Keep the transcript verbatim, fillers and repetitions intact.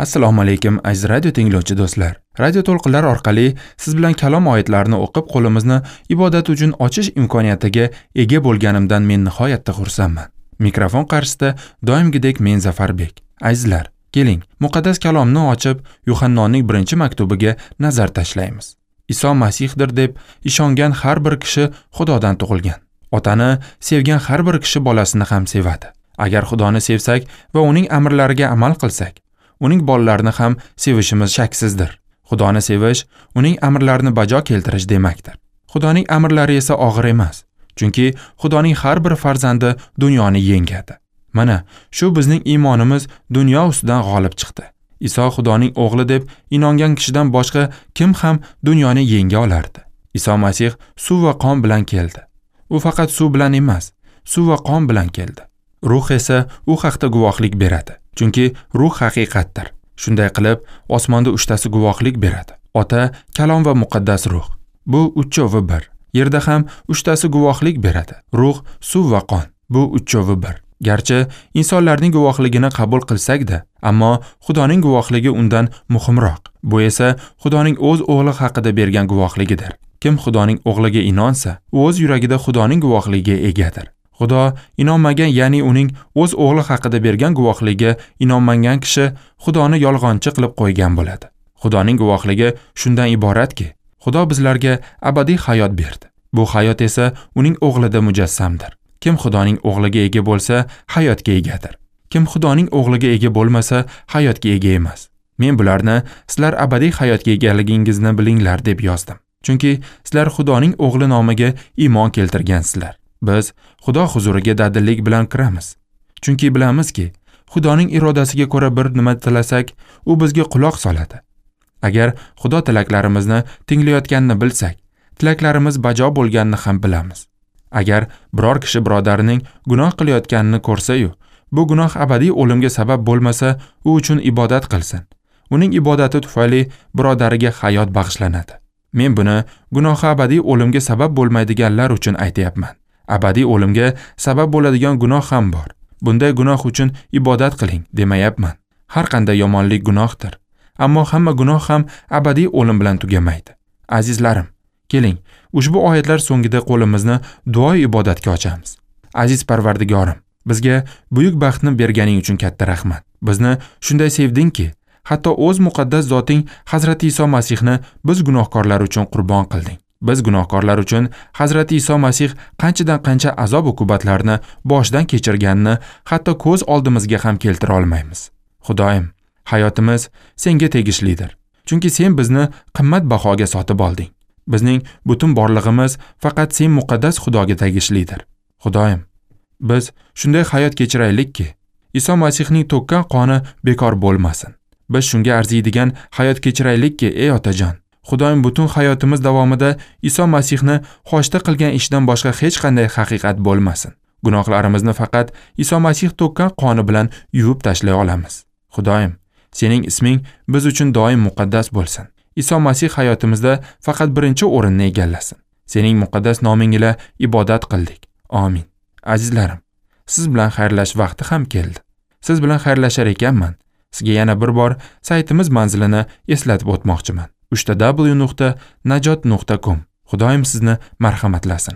Assalomu alaykum aziz radio tinglovchi do'stlar. Radio to'lqinlar orqali siz bilan kalom oyatlarini o'qib qo'limizni ibodat uchun ochish imkoniyatiga ega bo'lganimdan men nihoyatda xursandman. Mikrofon qarshisida doimgidek men Zafarbek. Azizlar, keling, muqaddas kalomni ochib, Yuhannoning birinchi maktubiga nazar tashlaymiz. Iso Masihdir deb ishongan har bir kishi Xudodan tug'ilgan. Otani sevgan har bir kishi bolasini ham sevadi. Agar Xudoni sevsak va uning amrlariga amal qilsak, uning bolalarini ham sevishimiz shaksizdir. Xudoni sevish, uning amrlarini bajo keltirish demakdir. Xudoning amrlari esa og'ir emas, chunki Xudoning har bir farzandi dunyoni yengadi. Mana shu bizning iymonimiz dunyo ustidan g'olib chiqdi. Iso Xudoning o'g'li deb inongan kishidan boshqa kim ham dunyoni yenga olardi? Iso Masih suv va qon bilan keldi. U faqat suv bilan emas, suv va qon bilan keldi. Ruh esa u haqda guvohlik beradi. Chunki ruh haqiqatdir. Shunday qilib, osmonda uchtasi guvohlik beradi. Ota, Kalom va Muqaddas Ruh. Bu uchovi bir. Yerda ham uchtasi guvohlik beradi. Ruh, suv va qon. Bu uchovi bir. Garchi insonlarning guvohligini qabul qilsak-da, ammo Xudoning guvohligi undan muhimroq. Bu esa Xudoning o'z o'g'li haqida bergan guvohligidir. Kim Xudoning o'g'liga inonsa, u o'z yuragida Xudoning guvohligiga egadir. Xudo inonmagan, ya'ni uning o'z o'g'li haqida bergan guvohligiga inonmagan kishi Xudoni yolg'onchi qilib qo'ygan bo'ladi. Xudoning guvohligi shundan iboratki, Xudo bizlarga abadiy hayot berdi. Bu hayot esa uning o'g'lida mujassamdir. Kim Xudoning o'g'liga ega bo'lsa, hayotga egadir. Kim Xudoning o'g'liga ega bo'lmasa, hayotga ega emas. Men bularni sizlar abadiy hayotga egaligingizni bilinglar deb yozdim. Chunki sizlar Xudoning o'g'li nomiga iymon keltirgansizlar. Biz Xudo huzuriga dadillik bilan kiramiz. Chunki bilamizki, Xudoning irodasiga ko'ra bir nima tilasak, u bizga quloq soladi. Agar Xudo tilaklarimizni tinglayotganini bilsak, tilaklarimiz bajo bo'lganini ham bilamiz. Agar biror kishi birodarining gunoh qilayotganini ko'rsa-yu, bu gunoh abadiy o'limga sabab bo'lmasa, u uchun ibodat qilsin. Uning ibodati tufayli birodariga hayot bag'ishlanadi. Men buni gunohi abadiy o'limga sabab bo'lmaydiganlar uchun aytayapman. Abadiy o'limga sabab bo'ladigan gunoh ham bor. Bunday gunoh uchun ibodat qiling demayapman. Har qanday yomonlik gunohdir. Ammo hamma gunoh ham abadiy o'lim bilan tugamaydi. Azizlarim, keling, ushbu oyatlar so'ngida qo'limizni duo ibodatga ochamiz. Aziz Parvardigorim, bizga buyuk baxtni berganing uchun katta rahmat. Bizni shunday sevdingki, hatto o'z muqaddas zoting Hazrati Iso Masihni biz gunohkorlar uchun qurbon qilding. Biz gunohkorlar uchun Hazrati Iso Masih qanchadan qancha azob uqubatlarni boshdan kechirganini hatto ko'z oldimizga ham keltira olmaymiz. Xudoyim, hayotimiz senga tegishlidir. Chunki sen bizni qimmat bahoga sotib olding. Bizning butun borlig'imiz faqat sen muqaddas Xudoga tegishlidir. Xudoyim, biz shunday hayot kechiraylikki, Iso Masihning to'kkan qoni bekor bo'lmasin. Biz shunga arziydigan hayot kechiraylikki, ey otajon. Xudoyim, butun hayotimiz davomida Iso Masihni xoshda qilgan ishdan boshqa hech qanday haqiqat bo'lmasin. Gunohlarimizni faqat Iso Masih to'kkan qoni bilan yuvib tashlay olamiz. Xudoyim, sening isming biz uchun doim muqaddas bo'lsin. Iso Masih hayotimizda faqat birinchi o'rinni egallasin. Sening muqaddas noming ila ibodat qildik. Amin. Azizlarim, siz bilan xayrlash vaqti ham keldi. Siz bilan xayrlashar ekanman, sizga yana bir bor saytimiz manzilini eslatib o'tmoqchiman. uch ta w nuqta najot nuqta com. Xudoyim sizni marhamatlasin.